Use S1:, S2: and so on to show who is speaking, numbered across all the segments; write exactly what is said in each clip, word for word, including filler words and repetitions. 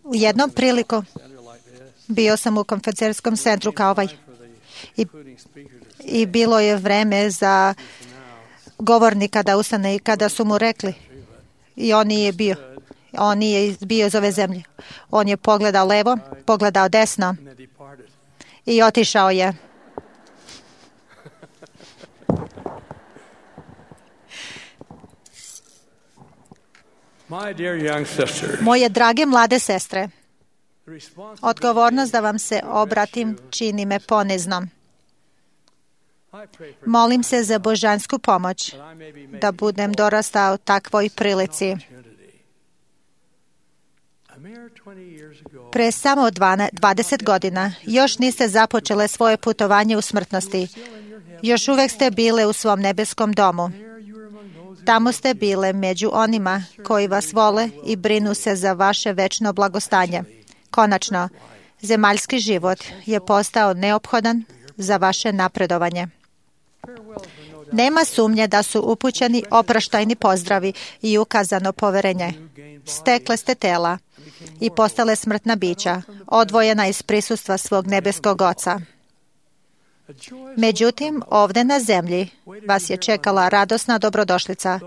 S1: U jednom priliku bio sam u konferencijskom centru kao ovaj i, i bilo je vreme za govornika da ustane i kada su mu rekli i on nije bio, on nije bio iz ove zemlje. On je pogledao levo, pogledao desno i otišao je. Moje drage mlade sestre, odgovornost da vam se obratim čini me poniznom. Molim se za božansku pomoć da budem dorastao takvoj prilici. Pre samo dvadeset godina još niste započele svoje putovanje u smrtnosti. Još uvek ste bile u svom nebeskom domu. Tamo ste bile među onima koji vas vole i brinu se za vaše večno blagostanje. Konačno, zemaljski život je postao neophodan za vaše napredovanje. Nema sumnje da su upućeni oproštajni pozdravi i ukazano poverenje. Stekle ste tela i postale smrtna bića, odvojena iz prisustva svog nebeskog Oca. Međutim, ovde na zemlji vas je čekala radosna dobrodošlica.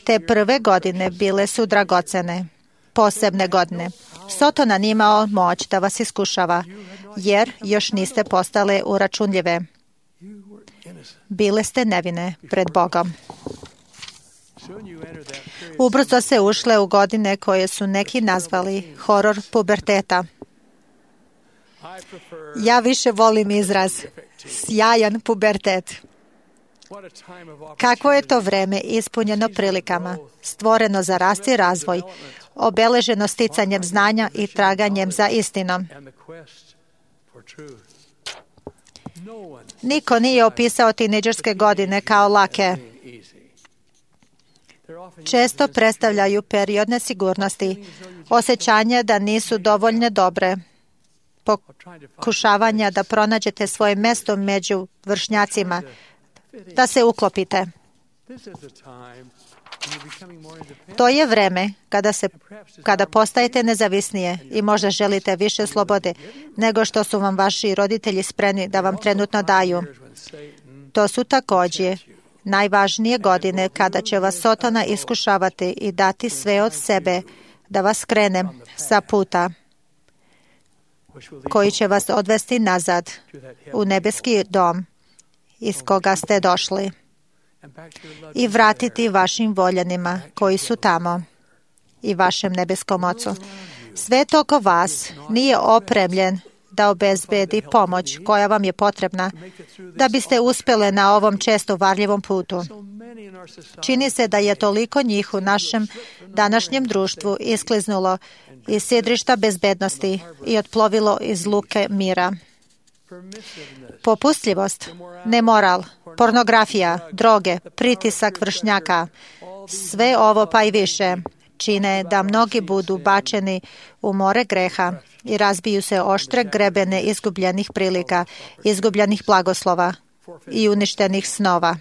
S1: Te prve godine bile su dragocene, posebne godine. Sotona nije imao moć da vas iskušava, jer još niste postale uračunljive. Bile ste nevine pred Bogom. Ubrzo se ušle u godine koje su neki nazvali horor puberteta. Ja više volim izraz sjajan pubertet. Kakvo je to vreme ispunjeno prilikama, stvoreno za rast i razvoj, obeleženo sticanjem znanja i traganjem za istinom. Niko nije opisao tinejdžerske godine kao lake. Često predstavljaju period nesigurnosti, osjećanja da nisu dovoljno dobre, pokušavanja da pronađete svoje mesto među vršnjacima, da se uklopite. To je vreme kada, se, kada postajete nezavisnije i možda želite više slobode nego što su vam vaši roditelji spremni da vam trenutno daju. To su također najvažnije godine kada će vas Sotona iskušavati i dati sve od sebe da vas krene sa puta koji će vas odvesti nazad u nebeski dom iz koga ste došli i vratiti vašim voljenima koji su tamo i vašem nebeskom Ocu. Svet oko vas nije opremljen da obezbedi pomoć koja vam je potrebna da biste uspjele na ovom često varljivom putu. Čini se da je toliko njih u našem današnjem društvu iskliznulo iz sidrišta bezbednosti i otplovilo iz luke mira. Popustljivost, nemoral, pornografija, droge, pritisak vršnjaka, sve ovo pa i više čine da mnogi budu bačeni u more greha i razbiju se oštre grebene izgubljenih prilika, izgubljenih blagoslova i uništenih snova.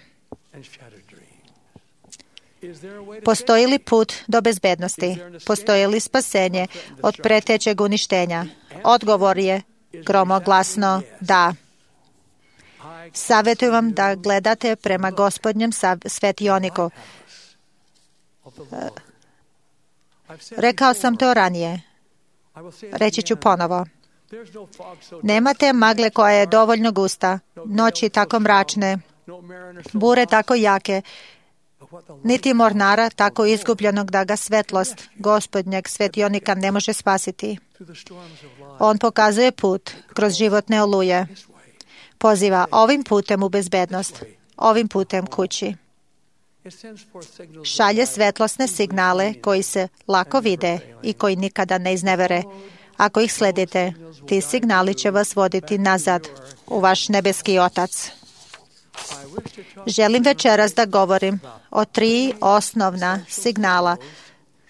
S1: Postoji li put do bezbednosti? Postoji li spasenje od pretećeg uništenja? Odgovor je gromoglasno da. Savjetujem vam da gledate prema Gospodnjem svetioniku. Rekao sam to ranije. Reći ću ponovo. Nemate magle koja je dovoljno gusta, noći tako mračne, bure tako jake, niti mornara tako izgubljenog da ga svetlost Gospodnjeg svetionika ne može spasiti. On pokazuje put kroz životne oluje. Poziva ovim putem u bezbednost, ovim putem kući. Šalje svetlosne signale koji se lako vide i koji nikada ne iznevere. Ako ih sledite, ti signali će vas voditi nazad u vaš nebeski Otac. Želim večeras da govorim o tri osnovna signala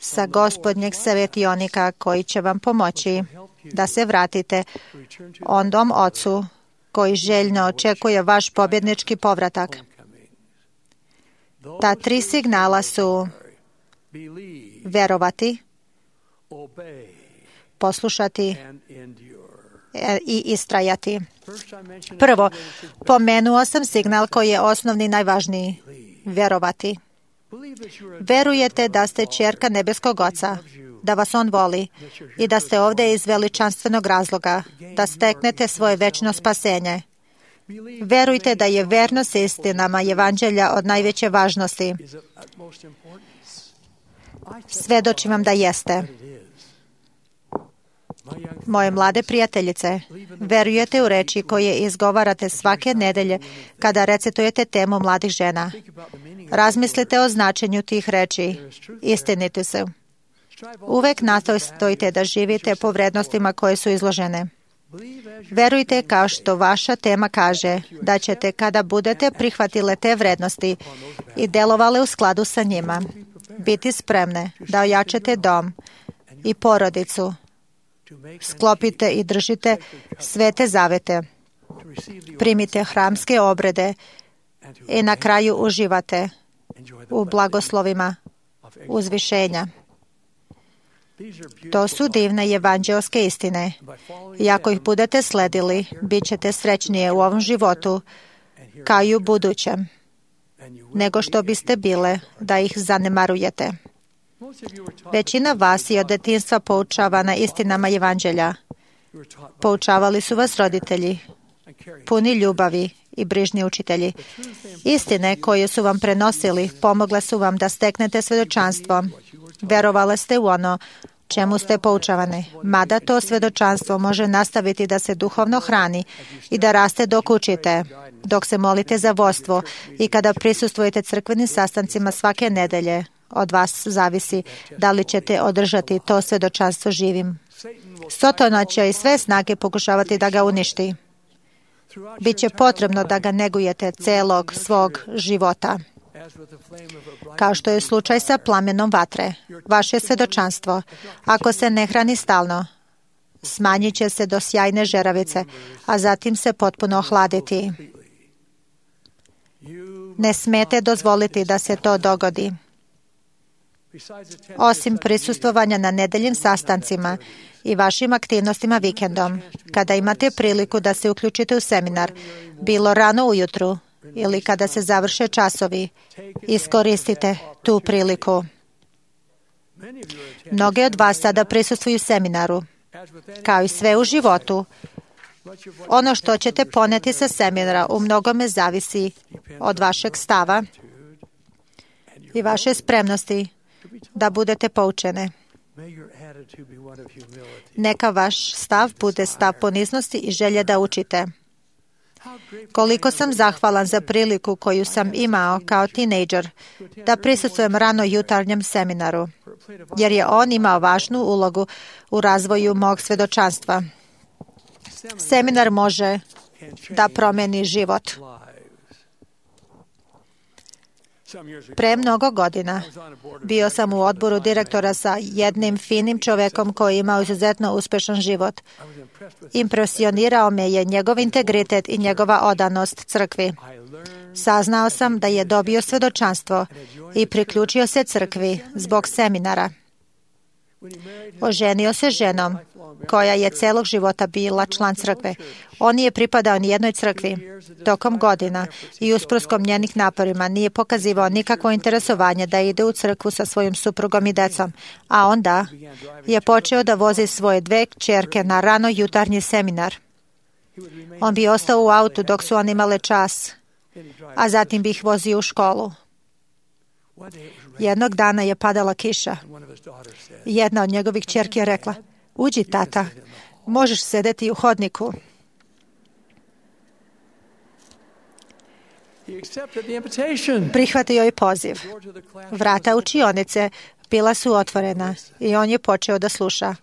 S1: sa Gospodnjeg svetionika koji će vam pomoći da se vratite ondom Ocu koji željno očekuje vaš pobjednički povratak. Ta tri signala su verovati, poslušati i istrajati. Prvo, pomenuo sam signal koji je osnovni i najvažniji. Verovati. Verujete da ste ćerka nebeskog Oca, da vas On voli i da ste ovdje iz veličanstvenog razloga, da steknete svoje večno spasenje. Verujte da je vernost istinama Evanđelja od najveće važnosti. Svedočim vam da jeste. Moje mlade prijateljice, verujete u reči koje izgovarate svake nedelje kada recitujete temu mladih žena. Razmislite o značenju tih reči. Istiniti su. Uvek nastojite da živite po vrednostima koje su izložene. Verujte kao što vaša tema kaže da ćete kada budete prihvatile te vrednosti i delovale u skladu sa njima, biti spremne da ojačate dom i porodicu, sklopite i držite svete zavete, primite hramske obrede i na kraju uživate u blagoslovima uzvišenja. To su divne evanđelske istine. I ako ih budete sledili, bit ćete srećnije u ovom životu kao i u budućem, nego što biste bile da ih zanemarujete. Većina vas je od detinjstva poučavana istinama Evanđelja. Poučavali su vas roditelji, puni ljubavi i brižni učitelji. Istine koje su vam prenosili pomogle su vam da steknete svedočanstvo. Verovali ste u ono čemu ste poučavani, mada to svedočanstvo može nastaviti da se duhovno hrani i da raste dok učite, dok se molite za vodstvo i kada prisustvujete crkvenim sastancima svake nedelje. Od vas zavisi da li ćete održati to svedočanstvo živim. Sotona će i sve snage pokušavati da ga uništi. Biće potrebno da ga negujete celog svog života. Kao što je slučaj sa plamenom vatre, vaše svedočanstvo, ako se ne hrani stalno, smanjit će se do sjajne žeravice, a zatim se potpuno ohladiti. Ne smete dozvoliti da se to dogodi. Osim prisustvovanja na nedeljim sastancima i vašim aktivnostima vikendom, kada imate priliku da se uključite u seminar, bilo rano ujutru ili kada se završe časovi, iskoristite tu priliku. Mnogi od vas sada prisustvuju seminaru. Kao i sve u životu, ono što ćete poneti sa seminara u mnogome zavisi od vašeg stava i vaše spremnosti da budete poučene. Neka vaš stav bude stav poniznosti i želje da učite. Koliko sam zahvalan za priliku koju sam imao kao tinejdžer da prisustvujem rano jutarnjem seminaru, jer je on imao važnu ulogu u razvoju mog svedočanstva. Seminar može da promeni život. Pre mnogo godina bio sam u odboru direktora sa jednim finim čovekom koji je imao izuzetno uspešan život. Impresionirao me je njegov integritet i njegova odanost crkvi. Saznao sam da je dobio svedočanstvo i priključio se crkvi zbog seminara. Oženio se ženom koja je celog života bila član crkve. On nije pripadao ni jednoj crkvi. Tokom godina i usprkos njenih naporima nije pokazivao nikakvo interesovanje da ide u crkvu sa svojim suprugom i decom. A onda je počeo da vozi svoje dve kćerke na rano jutarnji seminar. On bi ostao u autu dok su oni imale čas, a zatim bi ih vozio u školu. Jednog dana je padala kiša. Jedna od njegovih kćerki je rekla: "Uđi, tata, možeš sedeti u hodniku." Prihvatio je poziv. Vrata učionice bila su otvorena i on je počeo da sluša.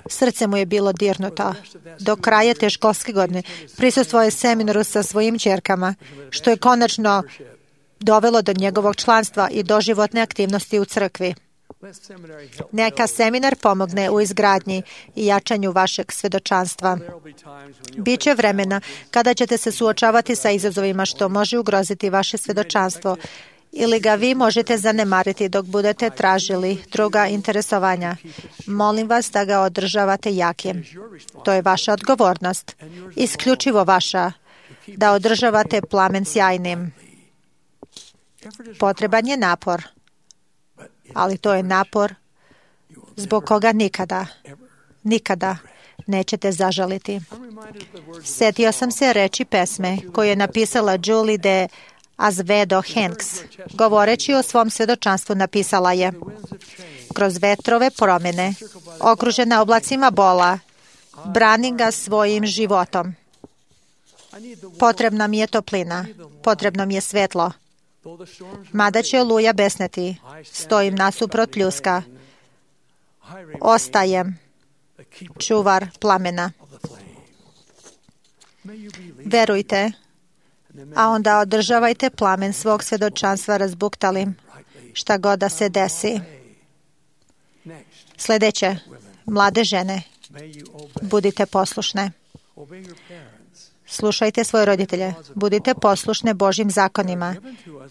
S1: Srce mu je bilo dirnuto. Do kraja te školske godine prisustvovao je seminaru sa svojim ćerkama, što je konačno dovelo do njegovog članstva i doživotne aktivnosti u crkvi. Neka seminar pomogne u izgradnji i jačanju vašeg svedočanstva. Biće vremena kada ćete se suočavati sa izazovima što može ugroziti vaše svedočanstvo ili ga vi možete zanemariti dok budete tražili druga interesovanja. Molim vas da ga održavate jakim. To je vaša odgovornost, isključivo vaša, da održavate plamen sjajnim. Potreban je napor, ali to je napor zbog koga nikada, nikada nećete zažaliti. Sjetio sam se reči pesme koju je napisala Julie de Azevedo Hanks. Govoreći o svom svjedočanstvu napisala je: kroz vetrove promjene, okružena oblacima bola, branim ga svojim životom. Potrebna mi je toplina, potrebno mi je svetlo. Mada će oluja besneti, stojim nasuprot pljuska. Ostajem čuvar plamena. Verujte, a onda održavajte plamen svog svjedočanstva razbuktalim, šta god da se desi. Sljedeće, mlade žene, budite poslušne. Slušajte svoje roditelje, budite poslušne Božjim zakonima.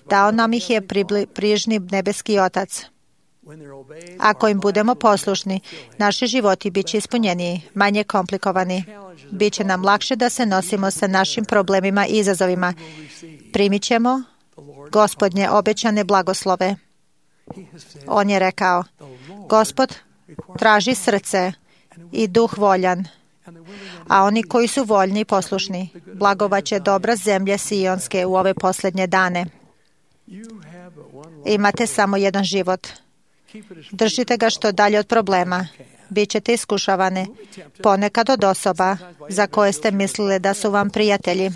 S1: Dao nam ih je prižni nebeski Otac. Ako im budemo poslušni, naši životi bit će ispunjeniji, manje komplikovani. Biće nam lakše da se nosimo sa našim problemima i izazovima. Primit ćemo Gospodnje obećane blagoslove. On je rekao: Gospod traži srce i duh voljan, a oni koji su voljni i poslušni blagovaće dobra zemlje Sionske u ove posljednje dane. Imate samo jedan život. Držite ga što dalje od problema. Bićete iskušavane, ponekad od osoba za koje ste mislili da su vam prijatelji.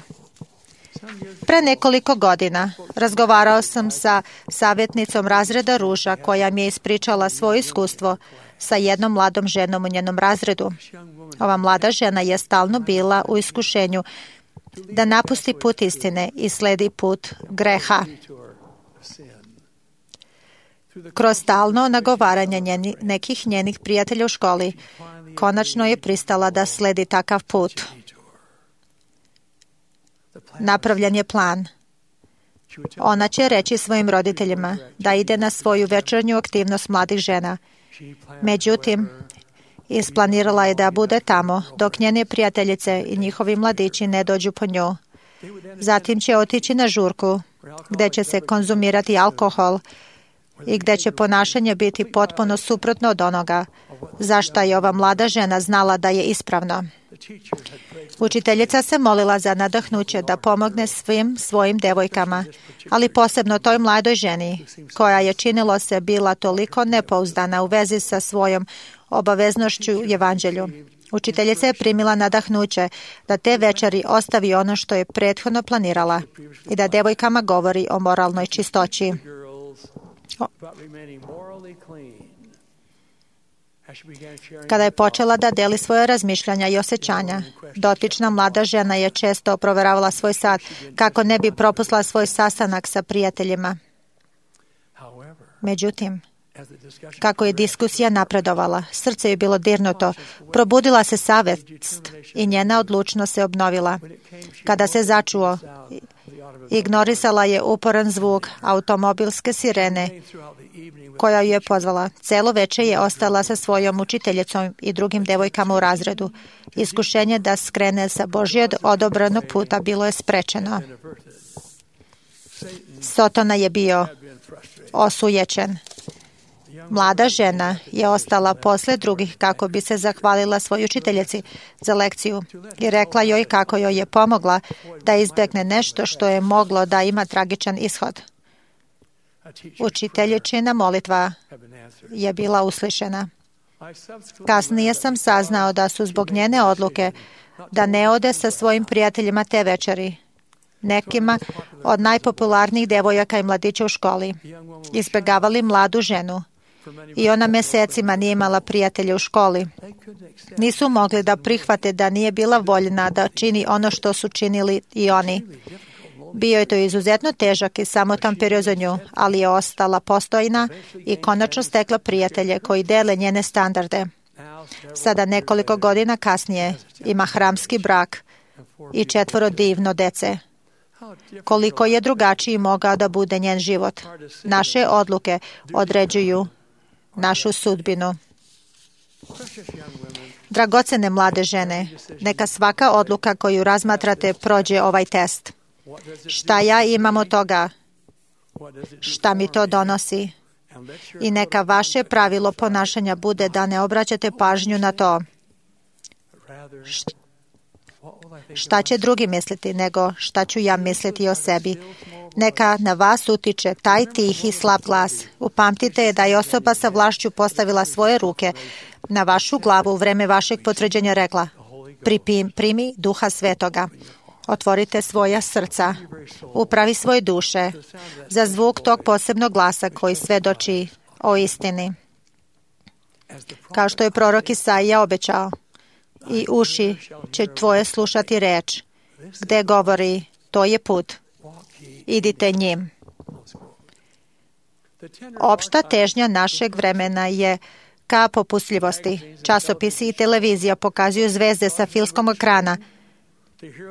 S1: Pre nekoliko godina razgovarao sam sa savjetnicom razreda Ruža koja mi je ispričala svoje iskustvo sa jednom mladom ženom u njenom razredu. Ova mlada žena je stalno bila u iskušenju da napusti put istine i sledi put greha. Kroz stalno nagovaranje njeni, nekih njenih prijatelja u školi, konačno je pristala da sledi takav put. Napravljen je plan. Ona će reći svojim roditeljima da ide na svoju večernju aktivnost mladih žena. Međutim, isplanirala je da bude tamo dok njene prijateljice i njihovi mladići ne dođu po nju. Zatim će otići na žurku gdje će se konzumirati alkohol i gdje će ponašanje biti potpuno suprotno od onoga zašto je ova mlada žena znala da je ispravno. Učiteljica se molila za nadahnuće da pomogne svim svojim devojkama, ali posebno toj mladoj ženi, koja je činilo se bila toliko nepouzdana u vezi sa svojom obaveznošću u evanđelju. Učiteljica je primila nadahnuće da te večeri ostavi ono što je prethodno planirala i da devojkama govori o moralnoj čistoći. Kada je počela da deli svoje razmišljanja i osjećanja, dotična mlada žena je često provjeravala svoj sat kako ne bi propustila svoj sastanak sa prijateljima. Međutim, kako je diskusija napredovala, srce je bilo dirnuto, probudila se savjest i njena odlučnost se obnovila. Kada se začuo, ignorisala je uporan zvuk automobilske sirene koja ju je pozvala. Celo večer je ostala sa svojom učiteljicom i drugim devojkama u razredu. Iskušenje da skrene sa Božjeg odobranog puta bilo je sprečeno. Sotona je bio osujećen. Mlada žena je ostala posle drugih kako bi se zahvalila svojoj učiteljici za lekciju i rekla joj kako joj je pomogla da izbjegne nešto što je moglo da ima tragičan ishod. Učiteljičina molitva je bila uslišena. Kasnije sam saznao da su zbog njene odluke da ne ode sa svojim prijateljima te večeri, nekima od najpopularnijih devojaka i mladića u školi, izbjegavali mladu ženu i ona mjesecima nije imala prijatelje u školi. Nisu mogli da prihvate da nije bila voljna da čini ono što su činili i oni. Bio je to izuzetno težak i samotan period za nju, ali je ostala postojna i konačno stekla prijatelje koji dele njene standarde. Sada nekoliko godina kasnije ima hramski brak i četvoro divno dece. Koliko je drugačiji mogao da bude njen život. Naše odluke određuju našu sudbinu. Dragocene mlade žene, neka svaka odluka koju razmatrate prođe ovaj test. Šta ja imam od toga? Šta mi to donosi? I neka vaše pravilo ponašanja bude da ne obraćate pažnju na to. Šta će drugi misliti, nego šta ću ja misliti o sebi. Neka na vas utiče taj tihi slab glas. Upamtite da je osoba sa vlašću postavila svoje ruke na vašu glavu u vreme vašeg potvrđenja rekla: Pripim, primi Duha Svetoga. Otvorite svoja srca, upravi svoje duše za zvuk tog posebnog glasa koji svedoči o istini. Kao što je prorok Isaija obećao, i uši će tvoje slušati reč, gde govori, to je put, idite njim. Opšta težnja našeg vremena je ka popustljivosti. Časopisi i televizija pokazuju zvezde sa filmskog ekrana,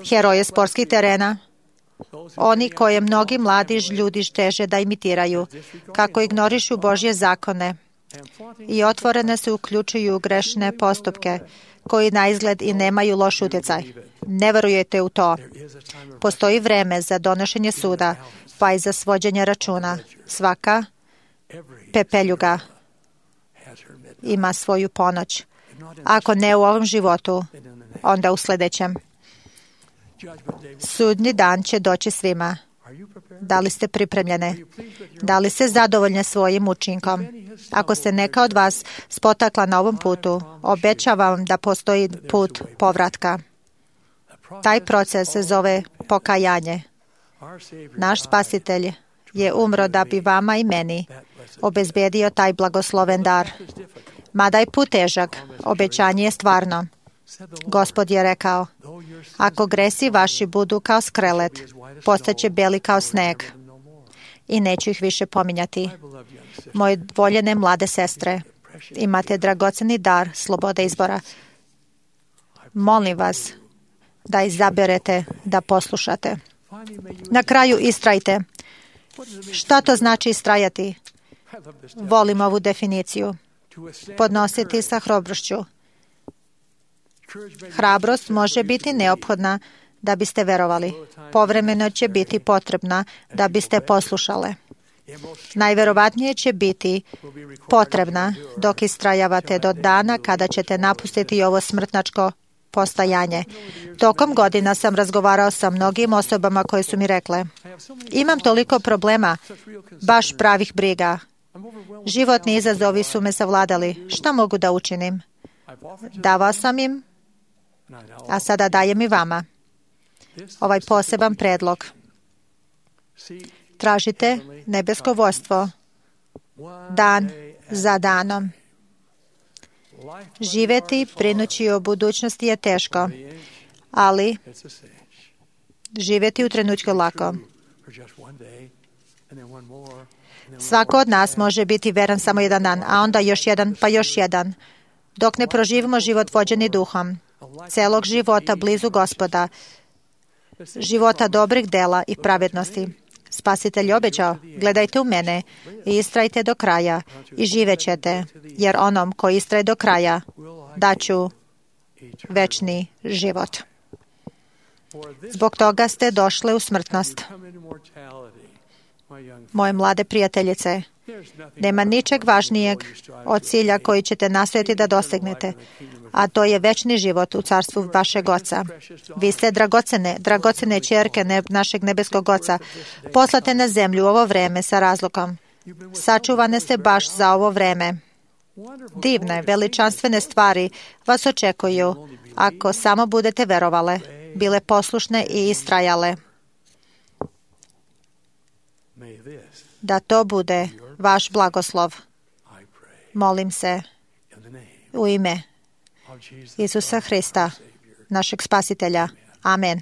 S1: heroje sportskih terena, oni koje mnogi mladi ljudi teže da imitiraju, kako ignorišu Božje zakone i otvorene se uključuju u grešne postupke, koji na izgled i nemaju loš utjecaj. Ne verujete u to. Postoji vreme za donošenje suda, pa i za svođenje računa. Svaka pepeljuga ima svoju ponoć. Ako ne u ovom životu, onda u sljedećem. Sudnji dan će doći svima. Da li ste pripremljene? Da li ste zadovoljne svojim učinkom? Ako se neka od vas spotakla na ovom putu, obećavam da postoji put povratka. Taj proces se zove pokajanje. Naš Spasitelj je umro da bi vama i meni obezbedio taj blagosloven dar. Mada je put težak, obećanje je stvarno. Gospod je rekao: ako gresi vaši budu kao skrelet, postaće beli kao sneg i neću ih više pominjati. Moje voljene mlade sestre, imate dragoceni dar slobode izbora. Molim vas da izaberete da poslušate. Na kraju istrajte. Šta to znači istrajati? Volim ovu definiciju. Podnositi sa hrabrošću. Hrabrost može biti neophodna da biste verovali. Povremeno će biti potrebna da biste poslušale. Najverovatnije će biti potrebna dok istrajavate do dana kada ćete napustiti ovo smrtnačko postajanje. Tokom godina sam razgovarao sa mnogim osobama koje su mi rekle: imam toliko problema, baš pravih briga. Životni izazovi su me savladali. Šta mogu da učinim? Davao sam im, a sada dajem i vama ovaj poseban predlog. Tražite nebesko vodstvo dan za danom. Živeti brinući o budućnosti je teško, ali živeti u trenutku lako. Svako od nas može biti veran samo jedan dan, a onda još jedan, pa još jedan. Dok ne proživimo život vođeni duhom, celog života blizu Gospoda, života dobrih dela i pravednosti. Spasitelj obećao: gledajte u mene i istrajte do kraja i živećete, jer onom koji istraje do kraja daću večni život. Zbog toga ste došle u smrtnost. Moje mlade prijateljice, nema ničeg važnijeg od cilja koji ćete nastojati da dosegnete, a to je večni život u carstvu vašeg Oca. Vi ste dragocene, dragocene ćerke ne, našeg nebeskog Oca, poslate na zemlju u ovo vreme sa razlogom. Sačuvane ste baš za ovo vreme. Divne, veličanstvene stvari vas očekuju ako samo budete verovale, bile poslušne i istrajale. Da to bude vaš blagoslov. Molim se u ime Isusa Hrista, našeg Spasitelja. Amen.